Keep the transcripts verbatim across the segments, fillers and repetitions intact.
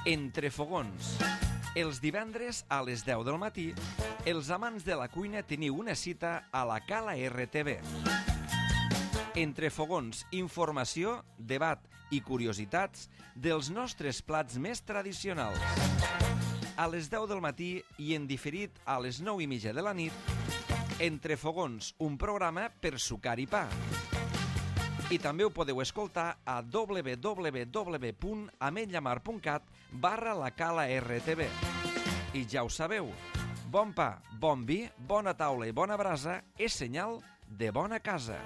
Entre fogons. Els divendres a les deu del matí, els amants de la cuina teniu una cita a la Cala R T V. Entre fogons, informació, debat i curiositats dels nostres plats més tradicionals. A les deu del matí i en diferit a les nou i mitja de la nit, Entre fogons, un programa per sucar i pa. I també ho podeu escoltar a w w w punt ametlla mar punt cat barra la Cala R T V. I ja ho sabeu, bon pa, bon vi, bona taula i bona brasa és senyal de bona casa.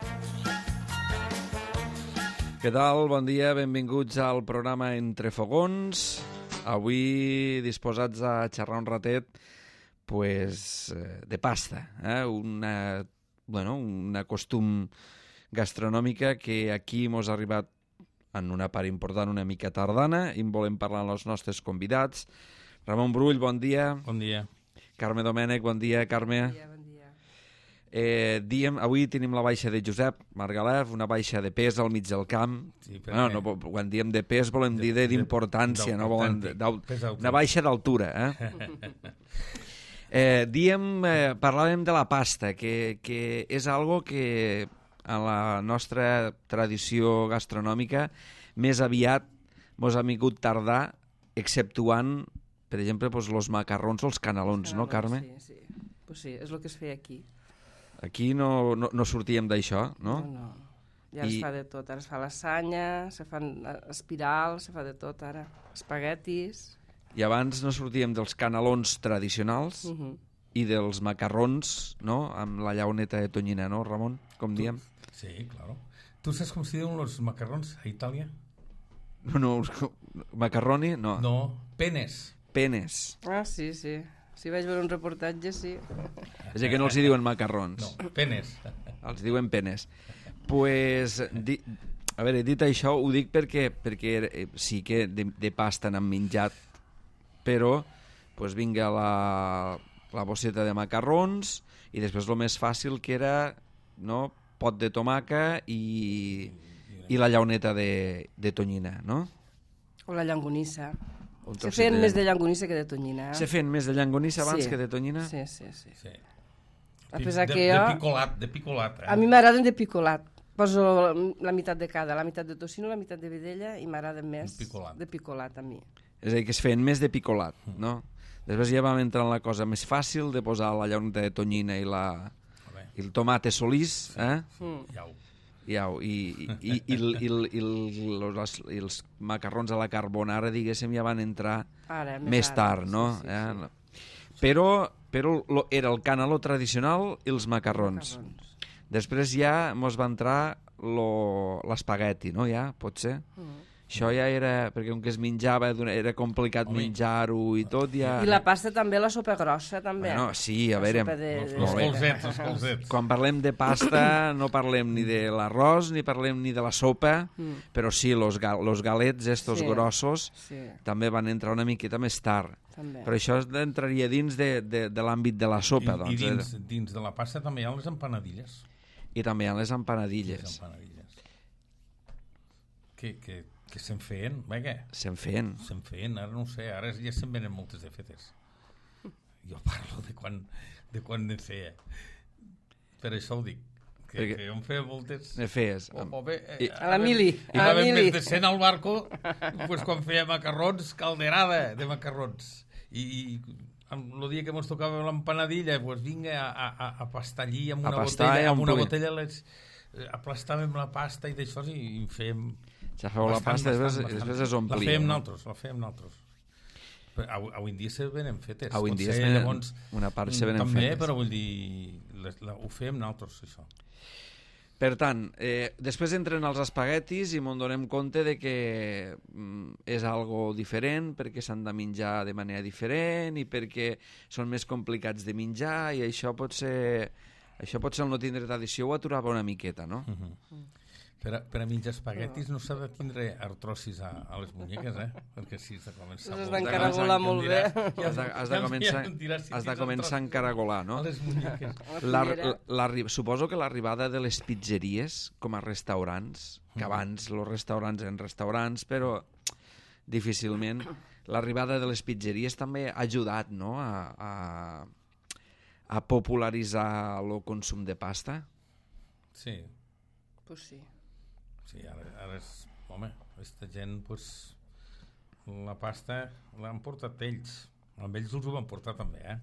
Què tal? Bon dia, benvinguts al programa Entre fogons. Avui disposats a xerrar un ratet pues, de pasta, eh? una, bueno, una costum gastronòmica que aquí mos ha arribat en una part important una mica tardana i en volem parlar amb els nostres convidats. Ramon Brull, bon dia. Bon dia. Carme Domènech, bon dia, Carme. Bon dia, bon dia. Eh, diem, avui tenim la baixa de Josep Margalef, una baixa de pes al mig del camp. Sí, perquè... no, no, quan diem de pes volem de, dir d'importància, no volen una baixa d'altura. Eh? eh, diem, eh, parlàvem de la pasta, que, que és algo que en la nostra tradició gastronòmica més aviat mos ha vingut tardar, exceptuant, per exemple, pues, los macarrons o els canelons, no, Carme? Sí, sí. Pues sí, és el que es feia aquí. Aquí no, no, no sortíem d'això, no? No, no. Ja I... es fa de tot. Ara es fa lasanya, se fan espirals, se fa de tot ara. Espaguetis... I abans no sortíem dels canelons tradicionals uh -huh. i dels macarrons, no?, amb la llauneta de tonyina, no, Ramon? Com diem? Sí, claro. ¿Tú sabes cómo se diuen los macarrons a Italia? No, no, macarroni, no. No, penes. Penes. Ah, sí, sí. Si vaig veure un reportatge, sí. És que no els hi diuen macarrons. No, penes. Els diuen penes. Pues, di, a veure, dit això, ho dic perquè, perquè sí que de, de pasta n'han menjat, però pues, vinga la, la bosseta de macarrons i després el més fàcil que era, no, pot de tomaca i, i la llauneta de, de tonyina, no? O la llangonissa. Se feien de... més de llangonissa que de tonyina. Eh? Se feien més de llangonissa abans sí. que de tonyina? Sí, sí, sí. sí. A pesar de, que jo... de picolat, de picolat. Eh? A mi m'agraden de picolat. Poso la meitat de cada, la meitat de tocino, la meitat de vedella i m'agrada més picolat. de picolat a mi. És a dir, que es feien més de picolat, no? Després ja vam entrar en la cosa més fàcil de posar la llauneta de tonyina i, la, i el tomate solís, eh? Mm. Iau. Iau. I, i, i, i, i, i, i, els, i els macarrons a la carbonara, diguéssim, ja van entrar ara, més, més tard, ara, no? Sí, sí, eh? sí. Però, però lo, era el caneló tradicional i els macarrons. macarrons. Després ja mos va entrar l'espagueti, no? Ja, pot ser? Mm. Això ja era, perquè com que es menjava, era complicat menjar-ho i tot, ja... I la pasta també, la sopa grossa, també. Bueno, sí, a veure... De, de... Els colzets, els colzets. Quan parlem de pasta no parlem ni de l'arròs, ni parlem ni de la sopa, mm. però sí, los, gal los galets estos sí, grossos sí. també van entrar una miqueta més tard. També. Però això entraria dins de, de, de l'àmbit de la sopa, I, doncs. I dins, dins de la pasta també hi ha les empanadilles. I també hi ha les empanadilles. Les empanadilles. Que... que... que se'n feien, va què? Se'n feien. Se'n feien, ara no ho sé, ara ja se'n venen moltes de fetes. Jo parlo de quan, de quan ne feia. Per això ho dic, que, Perquè... que jo em feia moltes... Ne feies. O, o bé, I... A la mili. I va haver més de cent al barco, pues, quan feia macarrons, calderada de macarrons. I, i el dia que ens tocava l'empanadilla, pues, vinga a, a, a pastar allí amb una botella, amb una botella les, aplastàvem la pasta i d'això i, i fèiem... Ja feu la pasta i després, després es omplia. La fèiem nosaltres, la fèiem nosaltres. Avui en dia se venen fetes. Avui en dia se venen, llavors, una part se venen també, fetes. Però vull dir, les, la, ho fèiem nosaltres, això. Per tant, eh, després entren els espaguetis i m'en donem compte de que mm, és algo diferent, perquè s'han de menjar de manera diferent i perquè són més complicats de menjar i això pot ser, això pot ser el no tindre tradició o aturava una miqueta, no? Uh -huh. Per a, per a menjar espaguetis no s'ha de tindre artrosis a, a les muñeques, eh? Perquè si has de començar... Has d'encaragolar molt bé. Has de, has de començar, has de començar a encaragolar, no? A les muñeques. La, la, la, suposo que l'arribada de les pizzeries com a restaurants, que abans els restaurants eren restaurants, però difícilment. L'arribada de les pizzeries també ha ajudat, no?, a, a, a popularitzar el consum de pasta. Sí. Pues sí. Sí, ara, ara és... Home, aquesta gent, pues, la pasta l'han portat ells. Amb ells els ho van portar també, eh?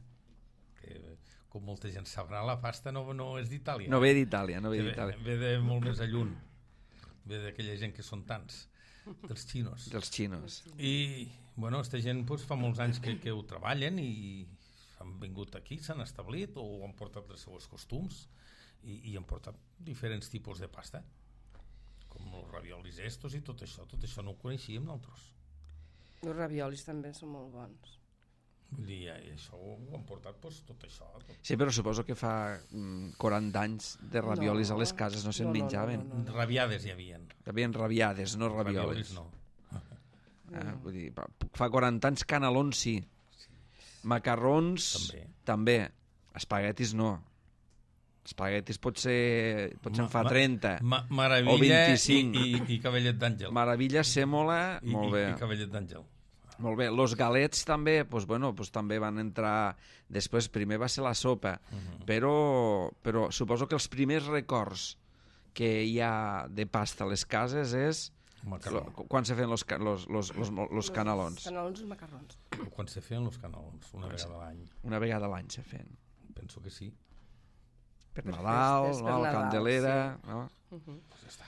Que, com molta gent sabrà, la pasta no, no és d'Itàlia. No ve d'Itàlia, no ve d'Itàlia. Ve, ve de molt més alluny. Ve d'aquella gent que són tants. Dels xinos. Dels xinos. I, bueno, aquesta gent pues, fa molts anys que, que ho treballen i han vingut aquí, s'han establit o han portat els seus costums i, i han portat diferents tipus de pasta, com els raviolis estos i tot això. Tot això no ho coneixíem nosaltres. Els raviolis també són molt bons. Vull dir, i això ho han portat pues, tot això. Tot. Sí, però suposo que fa mm, quaranta anys de raviolis no, a les cases no se'n no, menjaven. No, no, no, no. Rabiades hi havien. Hi havien rabiades, no raviolis. Raviolis no. Eh, vull dir, fa quaranta anys canelons sí. sí. Macarrons també. també. Espaguetis no. Espaguetis potser, potser en fa trenta ma, ma, o vint-i-cinc. I, i, i cabellet d'àngel. Maravilla, sèmola, I, molt bé. I, i cabellet d'àngel. Molt bé, los galets també, pues, bueno, pues, també van entrar, després primer va ser la sopa, uh -huh. però, però suposo que els primers records que hi ha de pasta a les cases és lo, quan se feien los, los, los, los, los canelons. Los canelons i els macarrons. Quan se feien los canelons, una vegada a l'any. Una vegada a l'any se feien. Penso que sí. Per Nadal, festes, no? per la Nadal, Candelera, sí. no? Uh -huh. Pues ja està.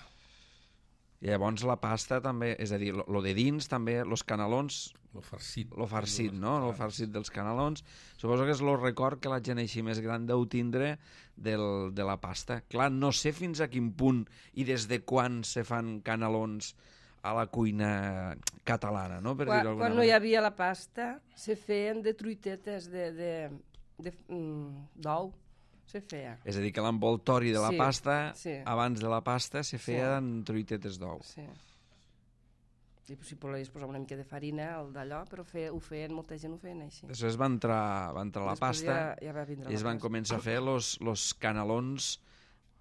I llavors la pasta també, és a dir, lo, lo de dins també, los canelons, lo farcit, lo farcit, no? Lo farcit dels canelons. Suposo que és el record que la gent així més gran deu tindre del, de la pasta. Clar, no sé fins a quin punt i des de quan se fan canelons a la cuina catalana, no? Per quan dir-ho quan no hi havia la pasta, se feien de truitetes de, de, de, d'ou. Se feia. És a dir, que l'envoltori de la sí, pasta, sí. abans de la pasta, se feia sí. en truitetes d'ou. Sí. I si volies posar una mica de farina, el d'allò, però fe, ho feien, molta gent ho feien així. Després va entrar, va entrar la Després pasta ja, ja va vindre i es la van pasta. començar a fer los, los canelons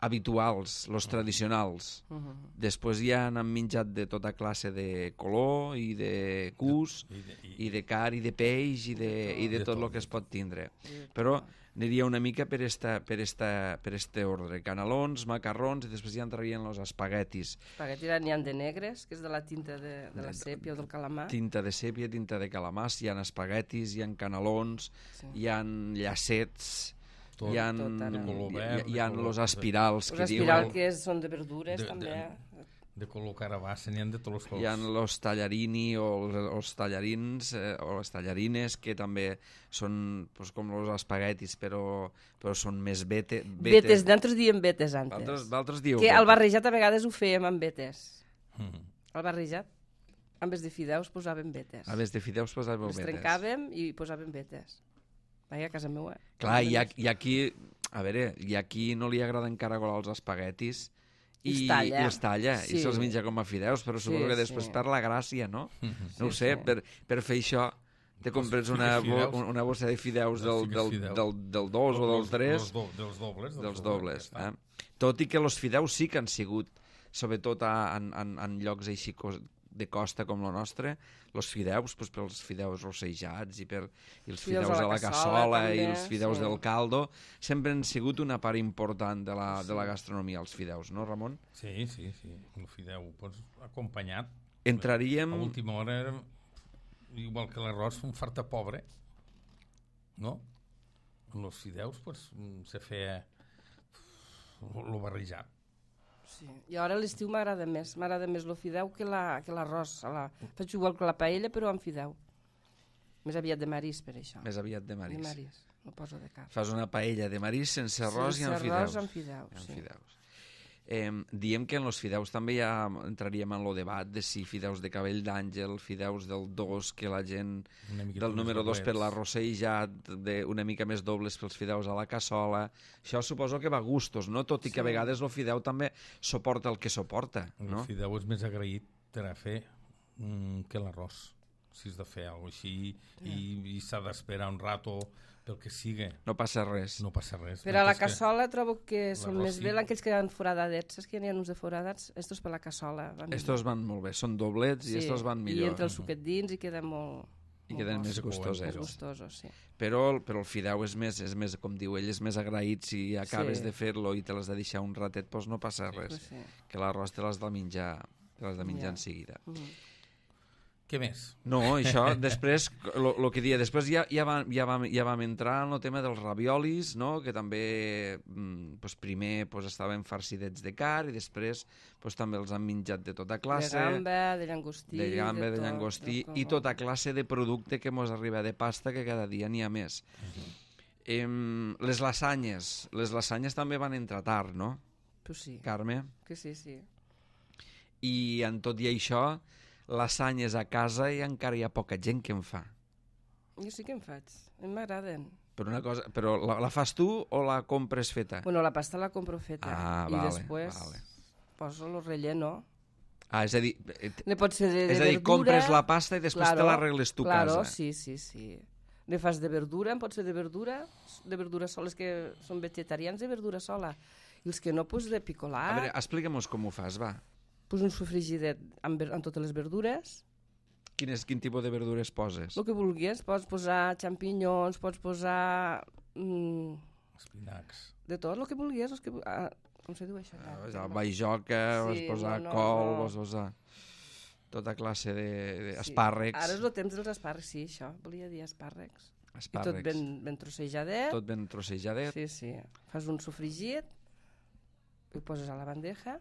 habituals, los tradicionals. Uh -huh. Després ja han menjat de tota classe de color i de cus, I de, i, i de car, i de peix, i de, i de, de tot el que es pot tindre. Però aniria una mica per esta, per esta, per este ordre. Canelons, macarrons, i després ja entrarien els espaguetis. Espaguetis n'hi ha de negres, que és de la tinta de, de la sèpia o del calamar. Tinta de sèpia, tinta de calamar, hi ha espaguetis, hi ha canelons, sí. hi ha llacets, tot, hi ha, tot verd, hi ha els espirals. Els espirals que són de verdures, de, també. De, de color carabassa, n'hi ha de tots els colors. Hi ha els tallarini o els, els tallarins eh, o les tallarines, que també són pues, com els espaguetis, però, però són més bete, betes. Betes, nosaltres diem betes antes. Vosaltres dieu que betes. El barrejat a vegades ho fèiem amb betes. Mm. El barrejat, en vez de fideus, posàvem betes. En vez de fideus posàvem betes. Els trencàvem i posàvem betes. Vaja, a casa meva. Clar, i, i aquí, a veure, i aquí no li agrada encara colar els espaguetis, i, I, talla. i els talla, sí. i se'ls menja com a fideus, però suposo sí, que després sí. perd la gràcia, no? Mm-hmm. No ho sí, sé, sí. per, per fer això te compres una, bo, una bossa de fideus del, del, del, del, del dos o del tres, do, dels dobles, dels, dels dobles. Eh? Tot i que els fideus sí que han sigut, sobretot a, en, en, en llocs així de costa com el nostre, els fideus, doncs, pels fideus rossejats i, per, i els fideus, fideus a la cassola també, i els fideus sí. del caldo, sempre han sigut una part important de la, sí. de la gastronomia, els fideus, no, Ramon? Sí, sí, sí. El fideu, doncs, acompanyat. Entraríem... A última hora era igual que l'arròs, un farta pobre, no? Els fideus, doncs, se feia lo barrejat. Sí. I ara a l'estiu m'agrada més, m'agrada més el fideu que l'arròs. La, la... Faig igual que la paella, però amb fideu. Més aviat de marís, per això. Més aviat de marís. De marís, no poso de cap. Fas una paella de marís sense arròs sense i amb arròs, fideus. amb fideus, amb sí. fideus. Eh, diem que en els fideus també ja entraríem en el debat de si fideus de cabell d'àngel, fideus del dos, que la gent del número dos per l'arrossejat, una mica més dobles pels fideus a la cassola. Això suposo que va a gustos, no? Tot i que sí. a vegades el fideu també suporta el que suporta, no? El fideu és més agraït per a fer mm, que l'arròs. si has de fer alguna cosa així i, i s'ha d'esperar un rato pel que sigui. No passa res. No passa res. Per a la Mentre que- cassola trobo que són L'arròs més sí. bé aquells que han foradadets. Saps que n'hi ha uns de foradats? Estos per la cassola. Van Estos van molt bé, són doblets i estos van I millor. entra el suquet dins i queda molt... I molt queden bons, més Sí, gustosos. més gustosos, sí. Però, però el fideu és més, és més, com diu ell, és més agraït. Si acabes Sí. de fer-lo i te l'has de deixar un ratet, doncs no passa res. Pues sí. Que l'arròs te l'has de menjar, te l'has de menjar Ja. en seguida. Mhm. Què més? No, això, després, el que dia, després ja, ja, vam, ja, vam, ja vam entrar en el tema dels raviolis, no? Que també, mm, pues primer pues, estaven farcidets de carn i després pues, també els han menjat de tota classe. De gamba, de llangostí... de gamba, de, tot, llangostí tot, i tota classe de producte que mos arriba de pasta, que cada dia n'hi ha més. Em, les lasanyes, les lasanyes també van entrar tard, no, Pues sí, Carme? que sí, sí. I en tot i això, lasanyes a casa i encara hi ha poca gent que en fa. Jo sí que en faig, a mi m'agraden. Però una cosa, però la, la fas tu o la compres feta? Bueno, la pasta la compro feta Ah, i vale, després vale. poso el relleno. Ah, és a dir, eh, Ne pot ser de, de és a dir, verdura... compres la pasta i després te l'arregles tu a claro, casa. sí, sí, sí. Ne fas de verdura, en pot ser de verdura, de verdura sola, els que són vegetarians de verdura sola. I els que no, doncs de A picolar, veure, explica'm com ho fas, va. pues un sofrigidet amb, ver- amb totes les verdures, Quin, és, quin tipus de verdures poses? el que vulguis. Pots posar xampinyons, pots posar... Mm, Espinacs. de tot, el que vulguis. Els que, vu- ah, com se diu això? Ah, Ah, vas no. a baijoca, vas Sí, posar no, no, col, no. vas posar tota classe Sí. d'espàrrecs. Ara és el temps dels espàrrecs, sí, això. Volia dir espàrrecs. I tot espàrrecs. ben, ben trossejadet. Tot ben trossejadet. Sí, sí. Fas un sofregit, ho poses a la bandeja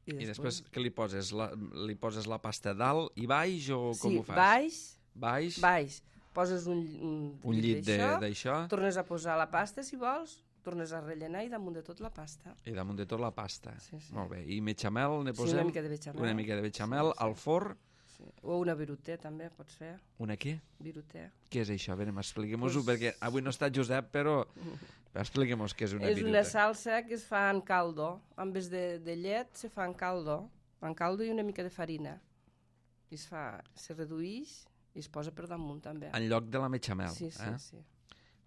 i I després... després què li poses? La, li poses la pasta dalt i baix o com sí, ho fas? baix, Baix, baix. Poses un, un, un llit de- d'això, d'això tornes a posar la pasta, si vols, tornes a rellenar i damunt de tot la pasta. i damunt de tot la pasta. Sí, sí. Molt bé. I bechamel, ne Sí, posem una mica de bechamel. una mica de bechamel Sí, sí. al forn. Sí. O una viruté, també, pots fer. Una què? Viruté. Què és això? A veure, expliquem-ho, Pues- perquè avui no està Josep, però expliquem què és una és viruta. una salsa que es fa en caldo. En vez de, de llet, se fa en caldo. En caldo i una mica de farina. I es fa, se reduïx i es posa per damunt, també. En lloc de la bechamel. Sí, sí, eh? sí.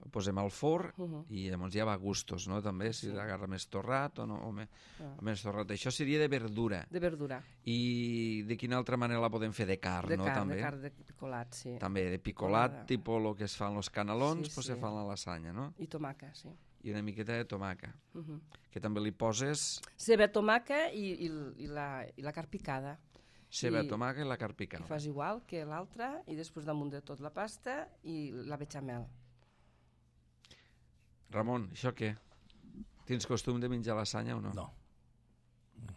Ho posem al forn Uh-huh. i llavors ja va a gustos, no? També, si Sí. l'agarra més torrat o no, o, me, Ah. o més torrat. Això seria de verdura. De verdura. I de quina altra manera la podem fer? De carn, De no? carn, també. de carn de picolat, sí. També de picolat, Picolada. tipus el que es fan els canelons, Sí, pues sí. se fan la lasanya, no? I tomaca, sí. I una miqueta de tomaca, Uh-huh. que també li poses Ceba, tomaca i, i, i, la, i la carn picada. ceba, I- tomaca i la carn I picada. fas igual que l'altra i després damunt de tot la pasta i la bechamel. Ramon, això què? Tens costum de menjar lasanya o no? No. No,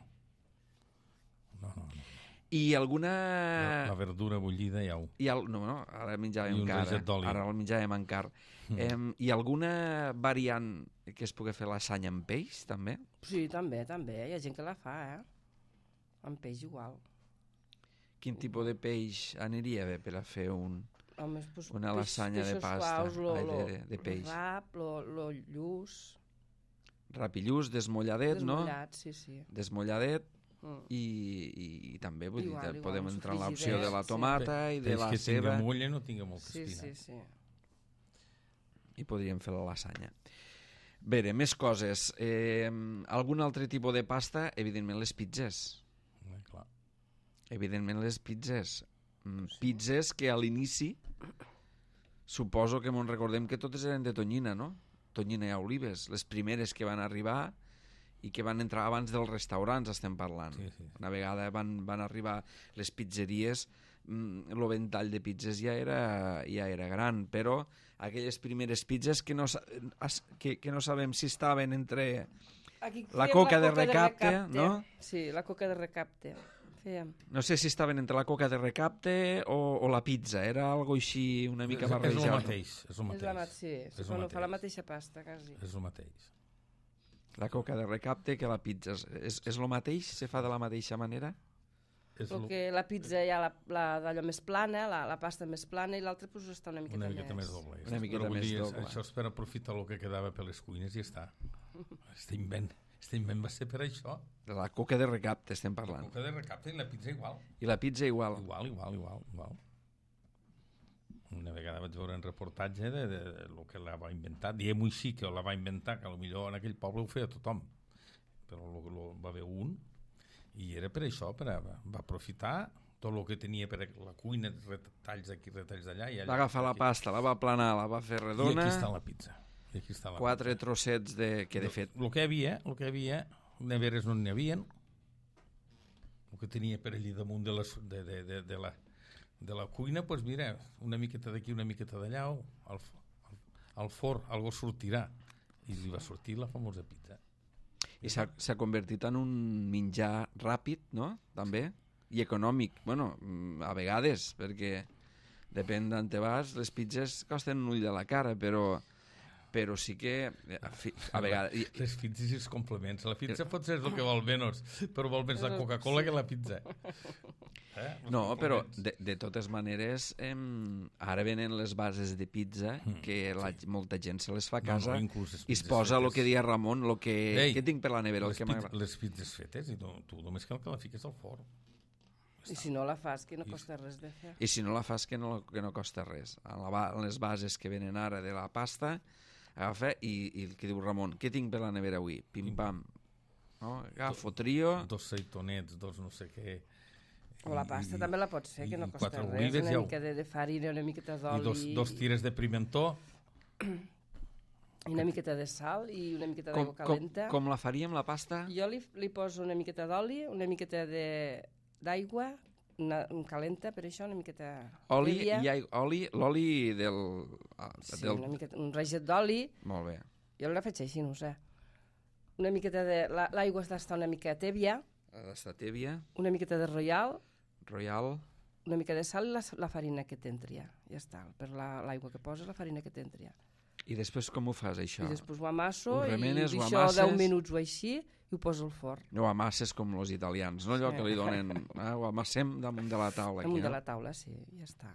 no, no. no. I alguna... La, la verdura bullida ja ho... Hi ha... No, no, ara I menjàvem un encara. raget d'oli. Ara el menjàvem encara. Mm. Em, hi ha alguna variant que es pugui fer lasanya amb peix, també? Sí, també, també. Hi ha gent que la fa, eh? Amb peix igual. Quin tipus de peix aniria bé per a fer un... Home, pues, Una peix- lasanya de peixos pasta, Suaus, lo, ai, lo, de- de peix. Lo rap, lo, lo lluç. Rapillús, desmolladet, no? Desmollat, sí, sí. Desmolladet Mm. i, i, i també vull Igual, dir, igual, podem un entrar en l'opció sofregidet, de la sí. tomata i de Peix la que tinga ceba mulla no tinga molta Sí, espina. sí, sí. i podríem fer la lasanya. Bé, més coses. Eh, algun altre tipus de pasta? Evidentment les pizzas. Eh, clar. Evidentment les pizzas. Mm, pizzas que a l'inici suposo que me'n recordem que totes eren de tonyina, no? Tonyina i olives. Les primeres que van arribar i que van entrar abans dels restaurants, estem parlant. Sí, sí. Una vegada van, van arribar les pizzeries, mm, el ventall de pizzas ja era, ja era gran, però aquelles primeres pizzas que no, sa- as- que, que no sabem si estaven entre Aquí La fèiem coca de recapte, no? Sí, la coca de recapte. Fèiem. no sé si estaven entre la coca de recapte o, o la pizza, era algo així una mica És, és el barrejat. mateix. És el És la, ma- mateix. sí, És sí, el bueno, fa la mateix. mateixa pasta, quasi. És el mateix. La coca de recapte que la pizza. És, és el mateix? Se fa de la mateixa manera? És Però lo- que la pizza hi ha la, la d'allò més plana, la, la pasta més plana, i l'altra pues, està una miqueta, una miqueta més doble. Una miqueta Però vull més dir, és- doble. Això és per aprofitar el que quedava per les cuines i ja està. Este invent, este invent va ser per això. De la coca de recapte estem La parlant. coca de recapte i la pizza igual. I la pizza igual. Igual, igual, igual. igual. una vegada vaig veure un reportatge de, de, de lo que la va inventar, diguem-ho així, que la va inventar, que potser en aquell poble ho feia tothom, però lo, lo, va haver un, i era per això, per a, va aprofitar tot el que tenia per la cuina, retalls d'aquí, retalls d'allà. Va agafar la pasta, la va aplanar, la va fer redona. I aquí està la pizza. I aquí està la quatre pizza. trossets de, que de fet... El que hi havia, el que hi havia, neveres no n'hi havia, el que tenia per allà damunt de, les, de, de, de, de la... de la cuina, doncs pues mira, una miqueta d'aquí, una miqueta d'allà, al, al, al forn, algo sortirà. I li va sortir la famosa pizza. I s'ha convertit en un menjar ràpid, no? També. I econòmic. Bueno, a vegades, perquè depèn d'on te vas, les pizzas costen un ull de la cara, però... però sí que a, a vegades... Les pizzas i els complements. La pizza pot ser el que vol menys, però vol més la Coca-Cola que la pizza. Eh? No, però de, de totes maneres eh, ara venen les bases de pizza que la, sí. molta gent se les fa a casa no, no, i es posa el que dia Ramon, lo que, Ei, que tinc per la nevera. Les, el que pizza, les pizzas fetes i tu, tu només cal que la fiques al forn. I si no la fas, que no costa res de fer. I si no la fas, que no, que no costa res. En, la, en les bases que venen ara de la pasta, agafa i, i el que diu Ramon, què tinc per la nevera avui? Pim-pam. No? Agafo, trio... Dos seitonets, dos no sé què... O la pasta I, també la pots fer, que no costa res. Olives, una mica de, de farina, una miqueta d'oli... I dos, dos tires de pimentó... I una miqueta de sal i una miqueta d'aigua calenta. Com, com la faríem, la pasta? Jo li, li poso una miqueta d'oli, una miqueta d'aigua, una, un calenta, per això, una miqueta... Oli i aigua, oli, l'oli del... Ah, sí, del... una miqueta, un raget d'oli. Molt bé. Jo la faig així, no ho sé. Una miqueta de... L'aigua ha d'estar una mica tèbia. Ha d'estar tèbia. Una miqueta de royal. Royal. Una mica de sal i la, la farina que t'entria. Ja està, per l'aigua la, que poses, la farina que t'entria. I després com ho fas, això? I després ho amasso ho remenes, i deixo deu minuts o així i ho poso al forn. Ho amasses com els italians, no allò sí. que li donen... Ah, ho amassem damunt de la taula. Damunt aquí, de no? la taula, sí, ja està.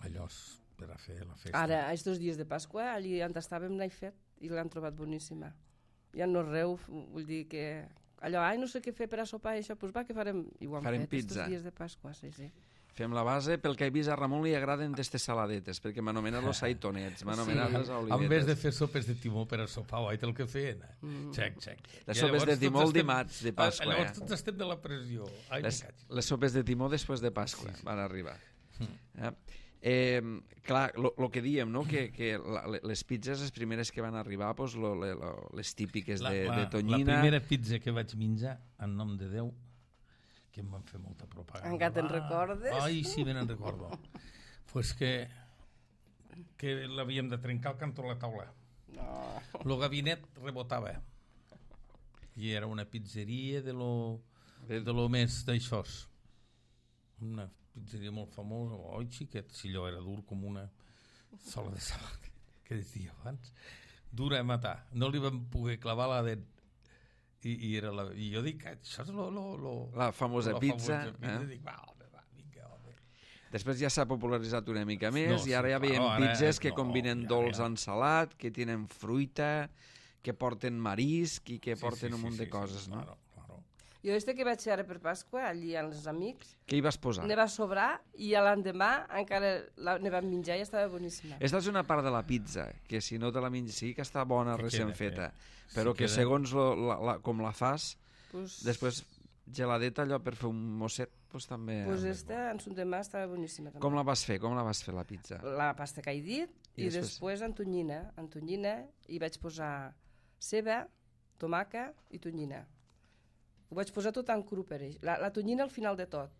Allò és per a fer la festa. Ara, els dos dies de Pasqua, allí on estàvem l'he fet i l'han trobat boníssima. Ja no reu, vull dir que... Allò, ai, no sé què fer per a sopar, això, doncs va, que farem... I ho han farem fet, pizza. Els dies de Pasqua, sí, sí. Fem la base, pel que he vist a Ramon li agraden d'estes saladetes, perquè m'ha anomenat los saitonets, m'ha anomenat les olivetes. En vez de fer sopes de timó per a sopar, oi, el que feien. Mm. Xec, xec. Les sopes de timó el dimarts de Pasqua. Llavors eh? tots estem de la pressió. Ai, les, les sopes de timó després de Pasqua sí, sí. van arribar. Mm. Eh? Eh, clar, el que diem, no? que, que la, les pizzas, les primeres que van arribar, pues, lo, lo, lo, les típiques la, de, la, de tonyina... La primera pizza que vaig menjar, en nom de Déu, que em van fer molta propaganda. Encara te'n recordes? Ai, sí, me n'en recordo. Pues que, que l'havíem de trencar al cantó de la taula. No. El gabinet rebotava. I era una pizzeria de lo, de lo més d'això. Una pizzeria molt famosa. Oi, xiquet, si allò era dur com una sola de sabat, que deia abans. Dura a matar. No li vam poder clavar la dent. I, i, era la, i jo dic, això és lo, lo, lo, la famosa la pizza, famosa pizza. Eh? Dic, va, home, va, vinga, home. Després ja s'ha popularitzat una mica més no, i ara sí, ja veiem no, pizzas que no, combinen ja, dolç ja. en salat, que tenen fruita, que porten marisc i que sí, porten sí, un munt sí, de coses, sí, no? Claro, claro. Jo este que vaig fer ara per Pasqua, allí amb els amics... Què hi vas posar? Ne va sobrar i a l'endemà encara la, ne vam menjar i estava boníssima. Esta és una part de la pizza, que si no te la menges sí que està bona, que recent queda, feta, que... però sí, que queda... segons lo, la, la, com la fas, pues... després geladeta allò per fer un mosset, pues també... Pues esta, en son demà, estava boníssima. També. Com la vas fer? Com la vas fer, la pizza? La pasta que he dit, i, i després, després en tonyina, en tonyina, i vaig posar ceba, tomaca i tonyina. Ho vaig posar tot en cru per ell. La, la tonyina al final de tot.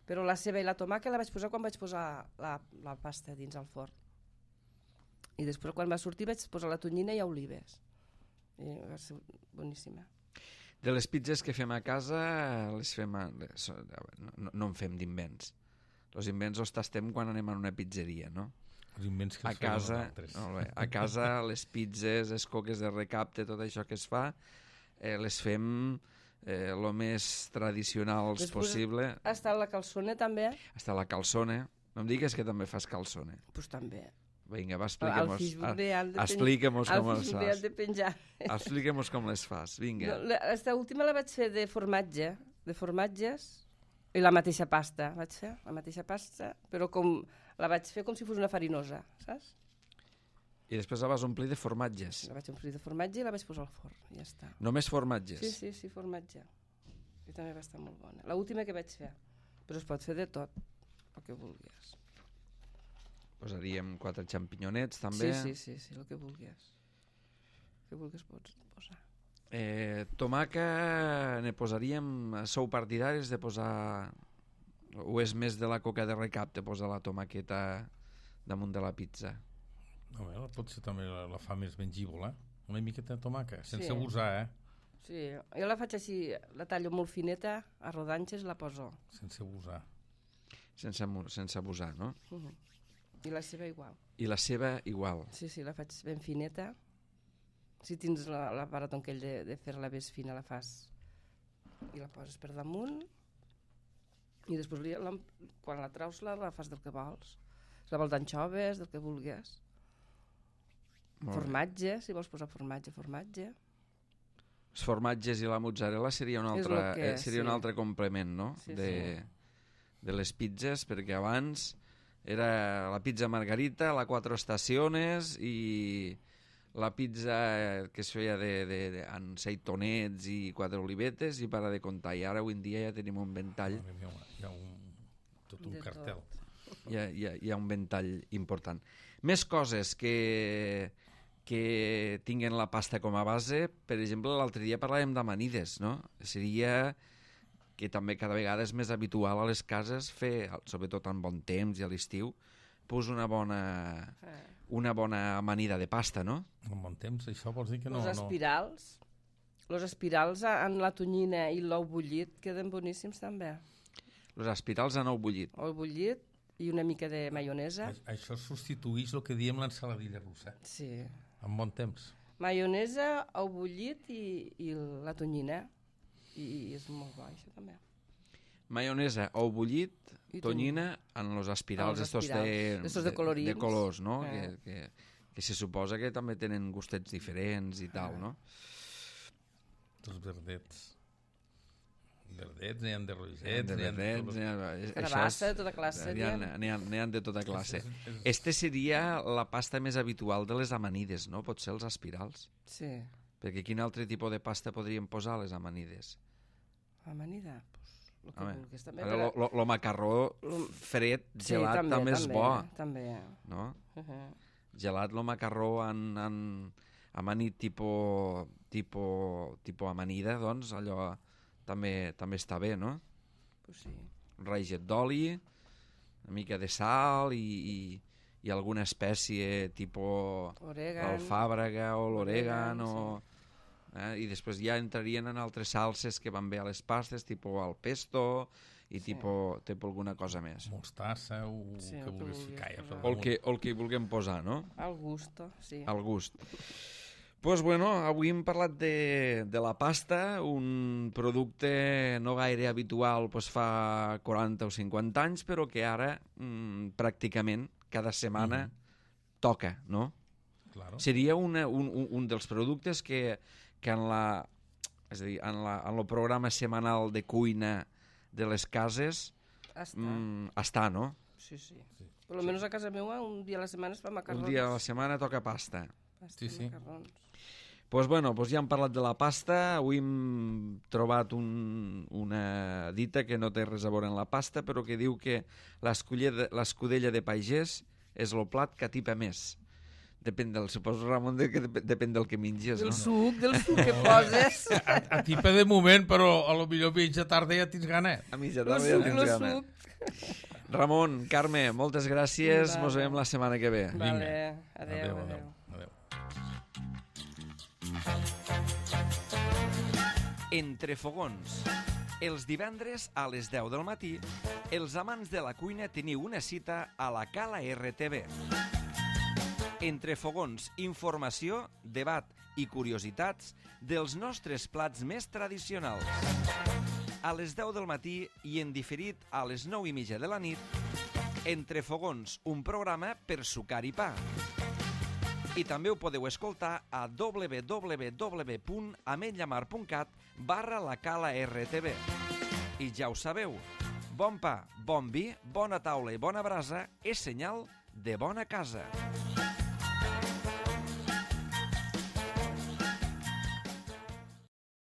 Però la ceba i la tomaca la vaig posar quan vaig posar la, la pasta dins al forn. I després quan va sortir vaig posar la tonyina i olives. I va ser boníssima. De les pizzas que fem a casa, les fem a... no, no en fem d'invents. Els invents els tastem quan anem a una pizzeria, no? Els invents que a els casa, fem no, bé, a casa les pizzas, les coques de recapte, tot això que es fa, eh, les fem eh, lo més tradicionals després possible. Ha estat la calçone també? Està la calçone. No em digues que també fas calçone. Doncs pues també. Vinga, va, expliquem-nos expliquem com les fas. De penjar. Expliquem-nos com les fas, vinga. No, esta última la vaig fer de formatge, de formatges, I la mateixa pasta vaig fer, la mateixa pasta, però com la vaig fer com si fos una farinosa, saps? I després la vas omplir de formatges. La vaig omplir de formatge i la vaig posar al forn, i ja està. Només formatges? Sí, sí, sí, formatge. I també va estar molt bona. L'última que vaig fer, però es pot fer de tot, el que vulguis. Posaríem quatre xampinyonets, també. Sí, sí, sí, sí, el que vulguis. El que vulguis pots posar. Eh, tomaca, ne posaríem... Sou partidaris de posar... O és més de la coca de recap de posar la tomaqueta damunt de la pizza? No, bé, potser també la, la fa més mengívola. Una miqueta de tomaca, sense Sí. abusar, eh? Sí, jo la faig així, la tallo molt fineta, a rodanxes la poso. Sense abusar. Sense, sense abusar, no? Uh -huh. I la ceba igual. I la ceba igual. Sí, sí, la faig ben fineta. Si tens l'aparat aquell de, de fer-la més fina, la fas i la poses per damunt i després li, la, quan la traus la, la fas del que vols. Si la vols d'anxoves, del que vulguis. Formatge, si vols posar formatge, formatge. Els formatges i la mozzarella seria un altre, que, eh, seria sí. un altre complement, no? Sí, de, sí. de les pizzas, perquè abans era la pizza margarita, la quatre estaciones i la pizza que es feia de, de, de, amb seitonets i quatre olivetes i para de contar. I ara avui en dia ja tenim un ventall. Hi ha, hi ha un, tot un De cartel. tot. Hi ha, hi, ha, hi ha un ventall important. Més coses que, que tinguen la pasta com a base. Per exemple, l'altre dia parlàvem d'amanides, no? Seria que també cada vegada és més habitual a les cases fer, sobretot en bon temps i a l'estiu, pues una bona, una bona amanida de pasta, no? En bon temps, això vols dir que no... Los espirals, no... los espirals en la tonyina i l'ou bullit queden boníssims també. Los espirals en ou bullit. Ou bullit i una mica de maionesa. A, això substituïx el que diem l'ensaladilla russa. Sí. En bon temps. Maionesa, ou bullit i, i la tonyina. I, I és molt bo, això també. Maionesa, ou bullit, tonyina en los espirals, estos de, estos de colorins. De, de colors, no? Eh. Que, que, que se suposa que també tenen gustets diferents i tal, no? Els verdets. Verdets, n'hi ha de rosets, de n'hi ha de... verdets, n'hi ha... Carabassa, tota classe. N'hi ha, n'hi ha, n'hi ha de tota classe. Este seria la pasta més habitual de les amanides, no? Pot ser els espirals. Sí. Perquè quin altre tipus de pasta podríem posar a les amanides? Amanida? Pues, el que Home, vulguis també. ara lo, lo, lo macarró fred, Sí, gelat, també, també és també, bo. També. No? Uh -huh. Gelat, lo macarró en, en amanit tipo, tipo, tipo amanida, doncs allò també, també està bé, no? Pues sí. Un raiget d'oli, una mica de sal i, i, i alguna espècie tipo Orègan. l'alfàbrega o l'orègan Orègan, o... Eh? I després ja entrarien en altres salses que van bé a les pastes, tipus al pesto i Sí. tipus, tipus alguna cosa més. Mostassa o Sí, el el que que vulguis vulguis ficar. Ja, posar. O el que, o el que hi vulguem posar, no? Al gusto, sí. Al gust. Pues bueno, avui hem parlat de, de la pasta, un producte no gaire habitual pues, fa quaranta o cinquanta anys, però que ara mm, pràcticament cada setmana Mhm. toca, no? Claro. Seria una, un, un, un dels productes que, que en la, és a dir, en, la, en el programa setmanal de cuina de les cases Està. mm, està, no? Sí, sí. sí. Per lo menos a casa meva un dia a la setmana es fa macarrons. Un dia a la setmana toca pasta. Pasta Sí, i sí. macarrons. Pues bueno, pues ja hem parlat de la pasta, avui hem trobat un, una dita que no té res a veure amb la pasta, però que diu que l'escudella de pagès és el plat que atipa més. Depèn del, suposo, Ramon, de que dep depèn del que menges, Del no? suc, del suc que poses. A, a tipa de moment, però a lo millor mitja tarda ja tens gana. A mitja El tarda ja suc, tens el gana. suc. Ramon, Carme, moltes gràcies, Vale. mos veiem la setmana que ve. Vale, adeu, adeu. adeu. adeu. Entre fogons. Els divendres a les deu del matí, els amants de la cuina teniu una cita a la Cala R T V. Entre fogons, informació, debat i curiositats dels nostres plats més tradicionals. A les deu del matí i en diferit a les nou i mitja de la nit, Entre fogons, un programa per sucar i pa. I també ho podeu escoltar a w w w punt ametlllamar punt cat barra la Cala R T V. I ja ho sabeu, Bon pa, bon vi, bona taula i bona brasa és senyal de bona casa.